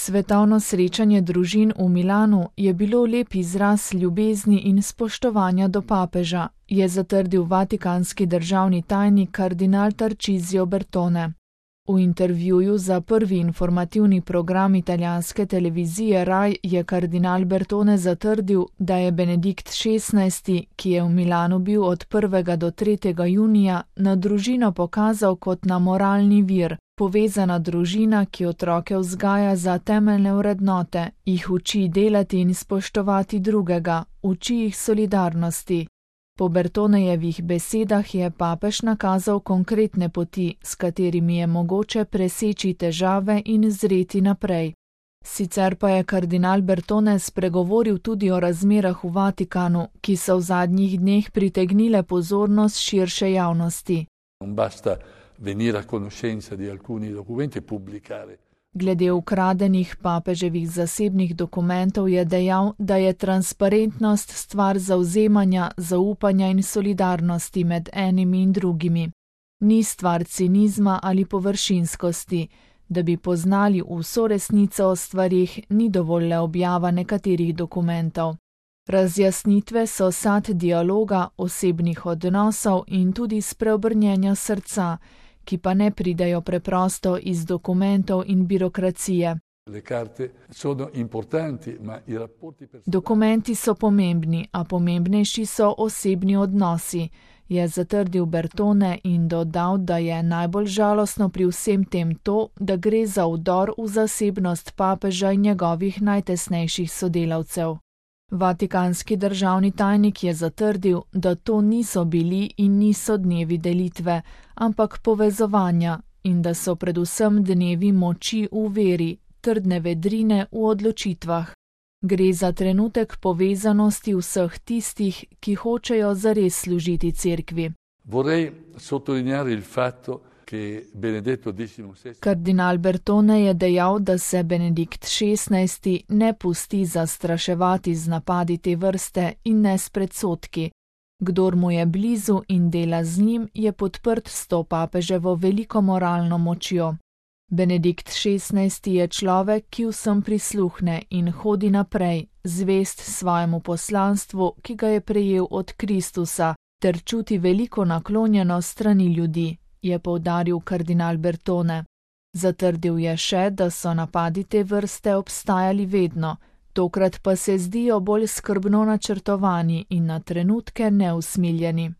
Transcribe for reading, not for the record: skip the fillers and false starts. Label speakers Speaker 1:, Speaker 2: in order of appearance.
Speaker 1: Svetovno srečanje družin v Milanu je bilo lep izraz ljubezni in spoštovanja do papeža, je zatrdil vatikanski državni tajnik kardinal Tarcisio Bertone. V intervjuju za prvi informativni program italijanske televizije Rai je kardinal Bertone zatrdil, da je Benedikt XVI, ki je v Milanu bil od 1. do 3. junija, na družino pokazal kot na moralni vir, povezana družina, ki otroke vzgaja za temeljne vrednote, jih uči delati in spoštovati drugega, uči jih solidarnosti. Po Bertonejevih besedah je papež nakazal konkretne poti, s katerimi je mogoče preseči težave in zreti naprej. Sicer pa je kardinal Bertone spregovoril tudi o razmerah v Vatikanu, ki so v zadnjih dneh pritegnile pozornost širše javnosti. Glede ukradenih papeževih zasebnih dokumentov je dejal, da je transparentnost stvar zavzemanja, zaupanja in solidarnosti med enimi in drugimi. Ni stvar cinizma ali površinskosti. Da bi poznali vso resnico o stvarih, ni dovolj le objava nekaterih dokumentov. Razjasnitve so sad dialoga, osebnih odnosov in tudi spreobrnjenja srca, ki pa ne pridejo preprosto iz dokumentov in birokracije. Dokumenti so pomembni, a pomembnejši so osebni odnosi, je zatrdil Bertone in dodal, da je najbolj žalostno pri vsem tem to, da gre za vdor v zasebnost papeža in njegovih najtesnejših sodelavcev. Vatikanski državni tajnik je zatrdil, da to niso bili in niso dnevi delitve, ampak povezovanja in da so predvsem dnevi moči v veri, trdne vedrine v odločitvah. Gre za trenutek povezanosti vseh tistih, ki hočejo zares služiti cerkvi. Kardinal Bertone je dejal, da se Benedikt XVI ne pusti zastraševati z napadi te vrste in ne s predsodki. Kdor mu je blizu in dela z njim, je podprt s to papeževo veliko moralno močjo. Benedikt XVI je človek, ki vsem prisluhne in hodi naprej, zvest svojemu poslanstvu, ki ga je prejel od Kristusa, ter čuti veliko naklonjenost strani ljudi, je poudaril kardinal Bertone. Zatrdil je še, da so napadi te vrste obstajali vedno, tokrat pa se zdijo bolj skrbno načrtovani in na trenutke neusmiljeni.